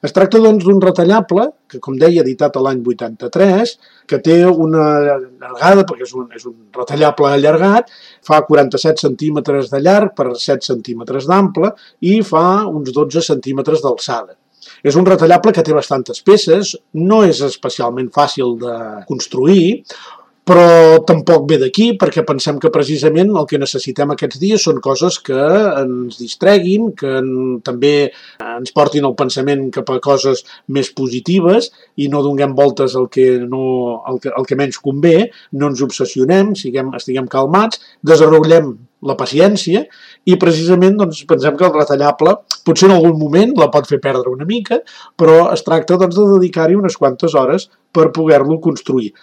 Es tracta, doncs, d'un retallable, que, com deia, editat a l'any 83, que té una llargada, perquè és un retallable allargat, fa 47 centímetres de llarg per 7 centímetres d'ample i fa uns 12 centímetres d'alçada. És un retallable que té bastantes peces, no és especialment fàcil de construir, però tampoc ve d'aquí, perquè pensem que precisament el que necessitem aquests dies són coses que ens distreguin, que també ens portin el pensament cap a coses més positives i no donem voltes al que menys convé, no ens obsessionem, estiguem calmats, desenvolupem la paciència i precisament doncs, pensem que el retallable potser en algun moment la pot fer perdre una mica, però es tracta doncs, de dedicar-hi unes quantes hores per poder-lo construir.